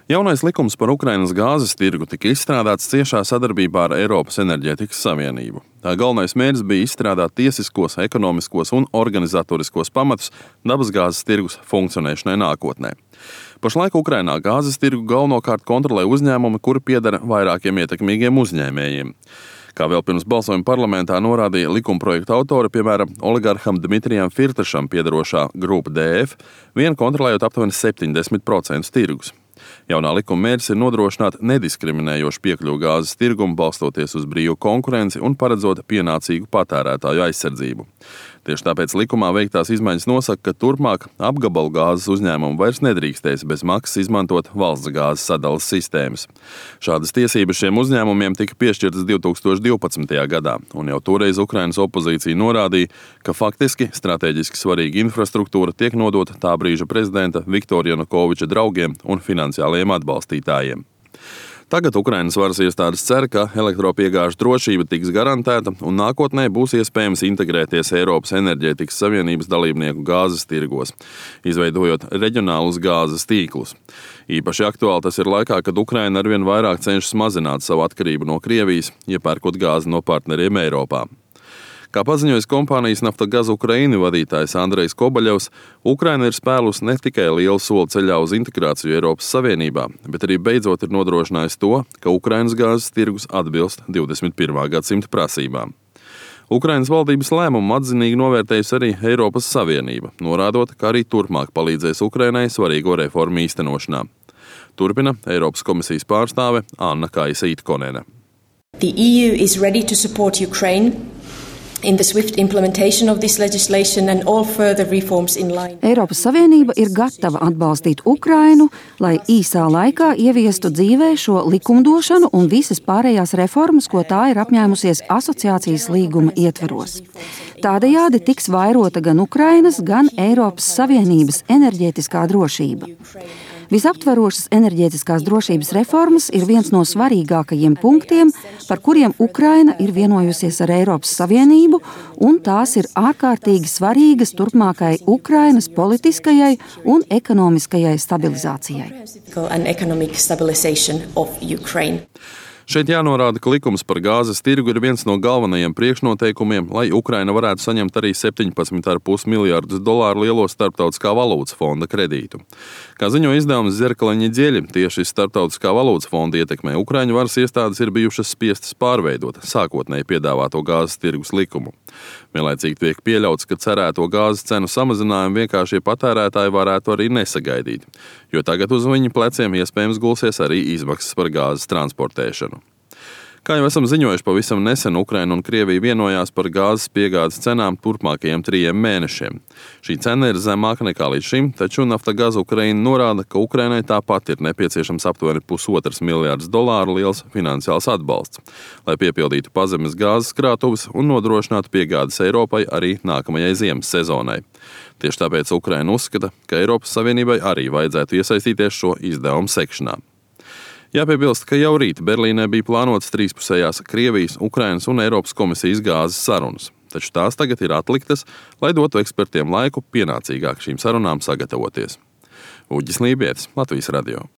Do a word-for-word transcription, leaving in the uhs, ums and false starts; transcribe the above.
Jaunais likums par Ukrainas gāzes tirgu tika izstrādāts ciešā sadarbībā ar Eiropas Enerģētikas Savienību. Tā galvenais mērķis bija izstrādāt tiesiskos, ekonomiskos un organizatoriskos pamatus dabasgāzes tirgus funkcionēšanai nākotnē. Pašlaik Ukrainā gāzes tirgu galvenokārt kontrolē uzņēmumi, kuri pieder vairākiem ietekmīgiem uzņēmējiem. Kā vēl pirms balsojuma parlamentā norādīja likumprojekta autori, piemēram, oligarham Dmitrijam Firtašam piederošā grupa D F, vien kontrolējot aptuveni septiņdesmit procentus tirgus. Jaunā likuma mērķis ir nodrošināt nediskriminējošu piekļuvi gāzes tirgumu, balstoties uz brīvu konkurenci un paredzot pienācīgu patērētāju aizsardzību. Tieši tāpēc likumā veiktās izmaiņas nosaka, ka turpmāk apgabalu gāzes uzņēmumu vairs nedrīkstēs bez maksas izmantot valsts gāzes sadalas sistēmas. Šādas tiesības šiem uzņēmumiem tika piešķirtas divi tūkstoši divpadsmitajā gadā, un jau toreiz Ukrainas opozīcija norādīja, ka faktiski strateģiski svarīga infrastruktūra tiek nodota tā brīža prezidenta Viktora Janukoviča draugiem un finansiālajiem atbalstītājiem. Tagad Ukrainas varas iestādes cer, ka elektropiegāžu drošība tiks garantēta un nākotnē būs iespējams integrēties Eiropas Enerģētikas Savienības dalībnieku gāzes tirgos, izveidojot reģionālus gāzes tīklus. Īpaši aktuāli tas ir laikā, kad Ukraina arvien vairāk cenšas mazināt savu atkarību no Krievijas, iepērkot gāzi no partneriem Eiropā. Kā paziņojis kompānijas Naftogaz Ukraina vadītājs Andrejs Kobaļevs, Ukraina ir spēlusi ne tikai lielu soli ceļā uz integrāciju Eiropas Savienībā, bet arī beidzot ir nodrošinājis to, ka Ukrainas gāzes tirgus atbilst divdesmit pirmā gadsimta prasībām. Ukrainas valdības lēmumu atzinīgi novērtējusi arī Eiropas Savienība, norādot, ka arī turpmāk palīdzēs Ukrainai svarīgo reformu īstenošanā. Turpina Eiropas komisijas pārstāve Anna Kaisa Itkonene. The E U is ready to support Ukraine in the swift implementation of this legislation and all further reforms in line. Eiropas Savienība ir gatava atbalstīt Ukrainu, lai īsā laikā ieviestu dzīvē šo likumdošanu un visas pārējās reformas, ko tā ir apņēmusies asociācijas līguma ietveros. Tādējādi tiks vairota gan Ukrainas, gan Eiropas Savienības enerģētiskā drošība. Visaptverošas enerģētiskās drošības reformas ir viens no svarīgākajiem punktiem, par kuriem Ukraina ir vienojusies ar Eiropas Savienību, un tās ir ārkārtīgi svarīgas turpmākai Ukrainas politiskajai un ekonomiskajai stabilizācijai. Šeit jānorāda, ka likums par gāzes tirgu ir viens no galvenajiem priekšnoteikumiem, lai Ukraina varētu saņemt arī septiņpadsmit komats pieci miljardus dolāru lielo starptautiskā valūtas fonda kredītu. Kā ziņo izdevums Zerkala ņedeļa, tieši starptautiskā valūtas fonda ietekmē Ukraiņu varas iestādes ir bijušas spiestas pārveidot sākotnēji piedāvāto gāzes tirgus likumu. Vienlaicīgi tiek pieļauts, ka cerēto gāzes cenu samazinājumu vienkāršie patērētāji varētu arī nesagaidīt, jo tagad uz viņu pleciem iespējams gulsies arī izmaksas par gāzes transportēšanu. Kā jau esam ziņojuši, pavisam nesen Ukraina un Krievija vienojās par gāzes piegādes cenām turpmākajiem trījiem mēnešiem. Šī cena ir zemāka nekā līdz šim, taču Naftogaz Ukraina norāda, ka Ukrainai tāpat ir nepieciešams aptuveni pusotras miljardus dolāru liels finansiāls atbalsts, lai piepildītu pazemes gāzes krātuves un nodrošinātu piegādes Eiropai arī nākamajai ziemas sezonai. Tieši tāpēc Ukraina uzskata, ka Eiropas Savienībai arī vajadzētu iesaistīties šo izdevumu sekšanā. Jāpiebilst, ka jau rīt Berlīnē bija plānotas trīspusējās Krievijas, Ukrainas un Eiropas komisijas gāzes sarunas, taču tās tagad ir atliktas, lai dotu ekspertiem laiku pienācīgāk šīm sarunām sagatavoties. Uģis Lībietis, Latvijas radio.